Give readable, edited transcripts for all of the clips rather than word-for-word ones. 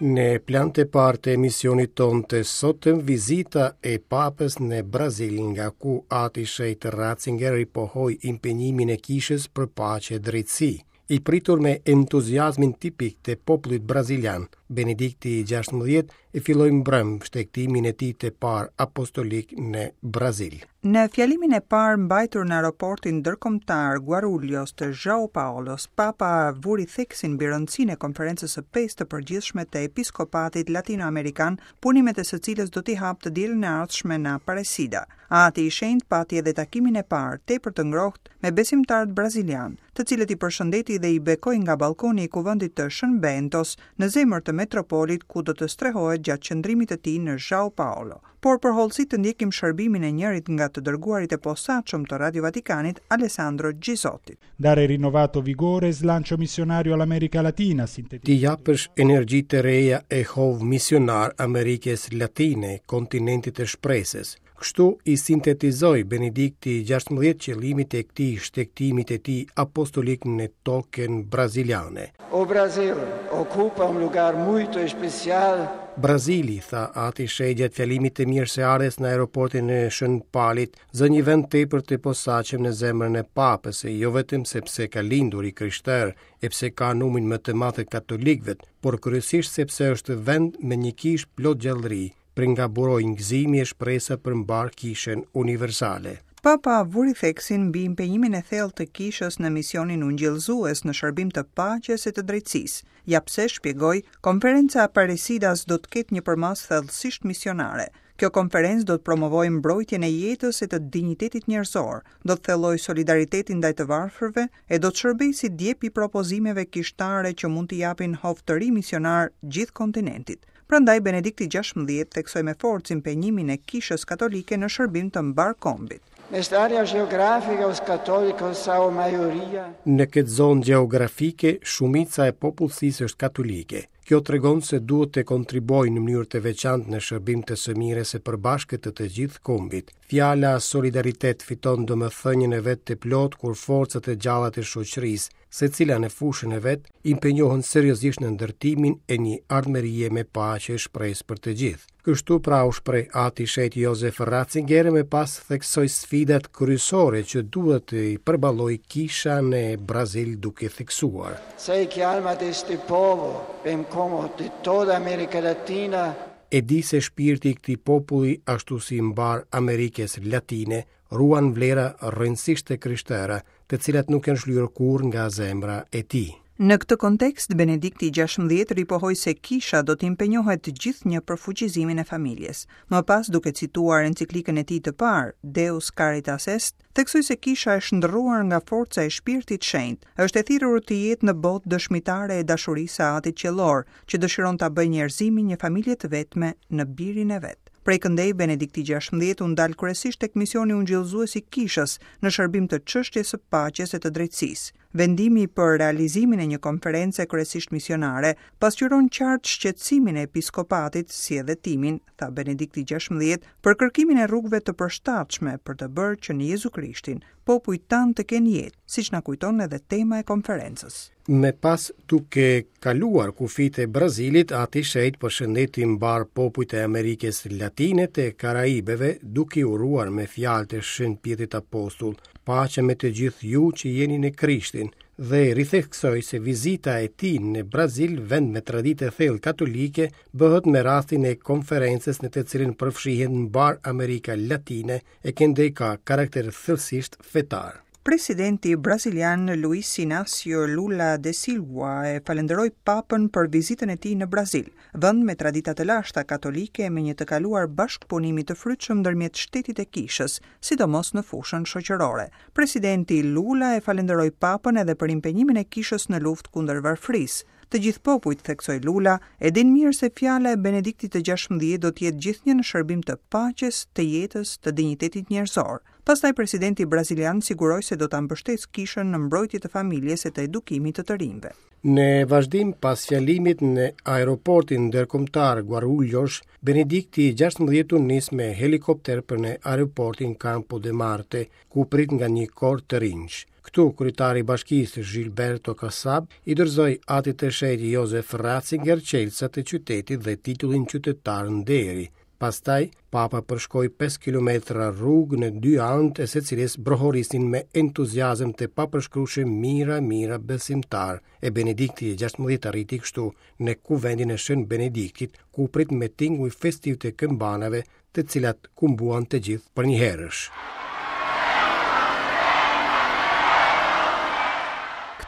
Në plan të parë të emisionit tonë të sotëm, vizita e Papës në Brazil, nga ku Ati i Shenjtë Ratzinger ripohoi impenjimin e kishës për paqe e drejtësi. I pritur me entuziazmin tipik të popullit brazilian, Benedikti i XVI e filloi mbrëmë shtegtimin e tij të parë apostolik në Brazil. Në fjalimin e parë mbajtur në aeroportin ndërkombëtar Guarulhos të João Paulos, Papa vuri theksin mbi rëndësinë e Konferencës së Pestë të Përgjithshme të Episkopatit Latinoamerikan, punimet e së cilës do t'i hapë të dielën e ardhshme në Aparecida. Ati i Shenjtë pati edhe takimin e parë, tepër të ngrohtë, me besimtarët brazilianë, të cilët i përshëndeti dhe i bekoi nga ballkoni i Kuvendit të Shën Bentos, në zemër të metropolit ku do të strehohet gjatë qëndrimit të tij në João Paulo. Por për hollësi të ndjekim shërbimin e njërit nga të dërguarit e posaçëm të Radio Vatikanit, Alessandro Gisotti. Dare rinnovato vigore e slancio missionario all'America Latina, T'i japësh energji të reja e hov misionar Amerikës Latine, kontinentit të shpresës. Kështu i sintetizoi Benedikti i XVI qëllimet e këtij shtegtimi të tij apostolik në tokën braziliane. O Brasil ocupa um lugar muito especial. Brazili, tha Ati i Shenjtë gjatë fjalimit të mirëseardhjes në aeroportin e Shën Palit, zë një vend tepër të posaçëm në zemrën e Papës, e jo vetëm sepse ka lindur i krishterë e pse ka numrin më të madh të katolikëve, por kryesisht sepse është vend me një kishë plot gjallëri, prej nga burojnë gëzimi e shpresa për mbarë kishën universale. Papa vuri theksin mbi impenjimin e thellë të Kishës në misionin ungjillëzues në shërbim të paqes e të drejtësisë. Ja pse, shpjegoi, Konferenca e Aparecidas do të ketë një përmasë thellësisht misionare. Kjo konferencë do të promovojë mbrojtjen e jetës e të dinjitetit njerëzor, do të thellojë solidaritetin ndaj të varfërve e do të shërbejë si djep i propozimeve kishtare që mund t'i japin hov të ri misionar gjithë kontinentit. Prandaj Benedikti XVI theksoi me forcë impenjimin e Kishës Katolike në shërbim të mbarë kombit. Nesta área geográfica os católicos são a maioria. Në këtë zonë gjeografike, shumica e popullsisë është katolike. Kjo tregon se duhet të kontribuojë në mënyrë të veçantë në shërbim të së mirës së përbashkët të të gjithë kombit. Fjala solidaritet fiton domethënien e vet të plotë kur forcat e gjalla të shoqërisë, secila në fushën e vet, impenjohen seriozisht në ndërtimin e një ardhmërie me paqe e shpresë për të gjithë. Kështu pra u shpreh Ati i Shenjtë Jozef Ratzinger e më pas theksoi sfidat kryesore që duhet të përballojë kisha në Brazil duke theksuar. Sei que a alma deste povo, bem como de toda a América Latina, E di se shpirti i këtij populli, ashtu si i mbarë Amerikës Latine, ruan vlera rrënjësisht të krishtera, të cilat nuk janë shlyer kurrë nga zemra e tij. Në këtë kontekst, Benedikti i XVI ripohoi se Kisha do të impenjohet gjithnjë për fuqizimin e familjes. Më pas, duke cituar enciklikën e tij të parë, Deus Caritas Est, theksoi se Kisha e shndërruar nga forca e Shpirtit Shenjt, është e thirrur të jetë në botë dëshmitare e dashurisë së Atit Qiellor, që dëshiron ta bëjë njerëzimin një familje të vetme në Birin e vet. Prej këndej, Benedikti XVI u ndal kryesisht tek misioni ungjillëzues i Kishës në shërbim të çështjes së paqes e të drejtësisë. Vendimi për realizimin e një konference kryesisht misionare pasqyron qartë shqetësimin e episkopatit, si edhe timin, tha Benedikti XVI, për kërkimin e rrugëve të përshtatshme për të bërë që në Jezu Krishtin popujt tanë të kenë jetë, siç na kujton edhe tema e konferencës. Më pas, duke kaluar kufijtë e Brazilit, Ati i Shenjtë përshëndeti mbarë popujt e Amerikës Latine të Karaibeve, duke i uruar me fjalët e Shën Pjetrit Apostull, Paqe me të gjithë ju që jeni në Krishtin, dhe ritheksoi se vizita e tij në Brazil, vend me traditë të thellë katolike, bëhet me rastin e konferencës në të cilën përfshihet mbarë Amerika Latine e këndej ka karakter thellësisht fetar. Presidenti brazilian Luiz Inácio Lula da Silva e falënderoi Papën për vizitën e tij në Brazil, vend me tradita të lashta katolike e me një të kaluar bashkëpunimi të frytshëm ndërmjet shtetit e kishës, sidomos në fushën shoqërore. Presidenti Lula e falënderoi Papën edhe për impenjimin e kishës në luftë kundër varfërisë. Të gjithë popujt, theksoi Lula, e dinë mirë se fjala e Benediktit të XVI do të jetë gjithnjë në shërbim të paqes, të jetës, të dinjitetit njerëzor. Pastaj presidenti brazilian siguroi se do ta mbështesë kishën në mbrojtje të familjes e të edukimit të të rinjve. Në vazhdim, pas fjalimit në aeroportin ndërkombëtar Guarulhos, Benedikti i XVI u nis me helikopter për në aeroportin Campo de Marte, ku u prit nga një kor të rinjsh. Këtu, kryetari i bashkisë Gilberto Kassab i dorëzoi Atit të Shenjtë Josef Ratzinger çelësat e qytetit dhe titullin qytetar nderi. Pastaj, Papa përshkoi 5 kilometra rrugë në dy anët e së cilës brohorisnin me entuziazëm të papërshkrueshëm mijëra mijëra besimtarë, e Benedikti i 16 arriti kështu në kuvendin e Shën Benediktit, ku u prit me tinguj festivë të këmbanave, të cilat kumbuan të gjithë përnjëherësh.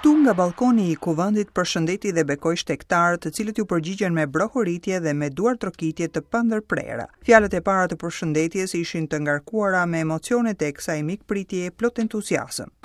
Këtu nga ballkoni i kuvendit përshëndeti dhe bekoi shtegtarët, të cilët iu përgjigjën me brohoritje dhe me duartrokitje të pandërprera. Fjalët e para të përshëndetjes ishin të ngarkuara me emocionet e kësaj mikpritjeje plot entuziazëm.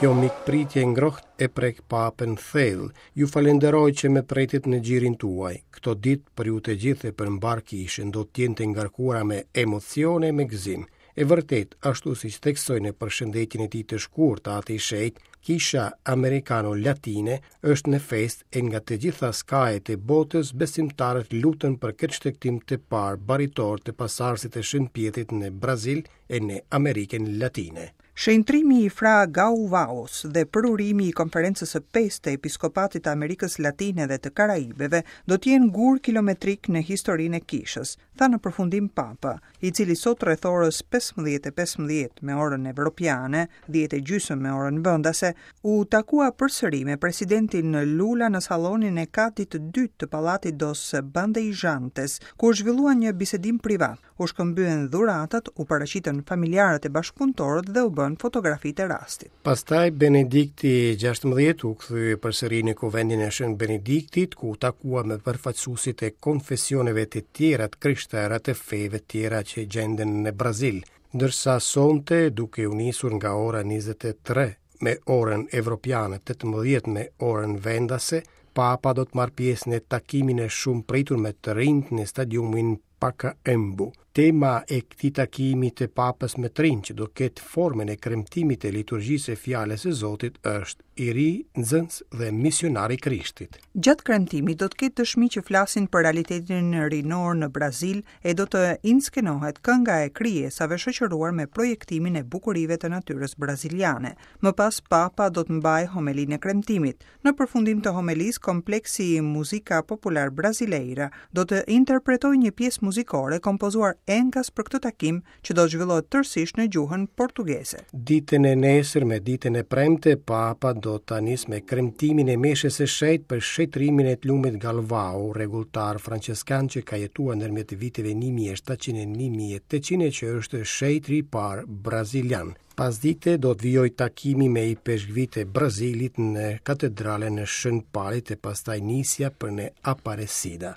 Kjo mikpritje e ngrohtë e prek Papën thellë. Ju falenderoj që më pritët në gjirin tuaj. Këto ditë për ju të gjithë e për mbarë kishën do të jenë të ngarkuara me emocione e me gëzim. E vërtetë, ashtu siç theksoi në përshëndetjen e tij të shkurtë Ati i Shenjtë, Kisha Amerikano-Latine është në festë e nga të gjitha skajet e botës besimtarët luten për këtë shtegtim të parë baritor të pasardhësit të Shën Pjetrit në Brazil e në Amerikën Latine. Shenjtërimi i Fra Gauvaos dhe përurimi i Konferencës së Pestë të Episkopatit të Amerikës Latine dhe të Karaibeve do të jenë gurë kilometrikë në historinë e Kishës, tha në përfundim Papa, i cili sot rreth orës 15:15 me orën evropiane, dhjetë e gjysmë me orën vendase, u takua përsëri me presidentin Lula në sallonin e katit të dytë të Pallatit dos Bandeirantes, ku u zhvillua një bisedim privat. U shkëmbyen dhuratat, u paraqitën familjarët e bashkëpunëtorët dhe u bënë fotografitë e rastit. Pastaj Benedikti 16 u kthye përsëri në kuvendin e Shën Benediktit, ku u takua me përfaqësuesit e konfesioneve të tjera të krishtera të feve të tjera që gjenden në Brazil. Ndërsa sonte, duke u nisur nga ora 23 me orën evropiane, 18 me orën vendase, Papa do të marrë pjesë në takimin e shumëpritur me të rinjtë në stadiumin Pacaembu. Tema e këtij takimi të Papës me të rinjtë që do ketë formën e kremtimit të liturgjisë së Fjalës së Zotit është i ri, nxënës dhe misionar i Krishtit. Gjatë kremtimit do të ketë dëshmi që flasin për realitetin rinor në Brazil e do të inskenohet kënga e krijesave shoqëruar me projektimin e bukurive të natyrës braziliane. Më pas Papa do të mbajë homelinë e kremtimit. Në përfundim të homelisë, kompleksi Música Popular Brasileira do të interpretojë një pjesë muzikore kompozuar enkas për këtë takim që do të zhvillohet tërësisht në gjuhën portugeze. Ditën e nesërme, ditën e premte, Papa do ta nisë me kremtimin e meshës së shenjtë për shenjtërimin e të lumit Galvao, rregulltar françeskan që ka jetuar ndërmjet viteve 1700 e 1800 e që është shenjtëri i parë brazilian. Pasdite do të vijojë takimi me ipeshkvijtë e Brazilit në katedralen e Shën Palit e pastaj nisja për në Aparecida.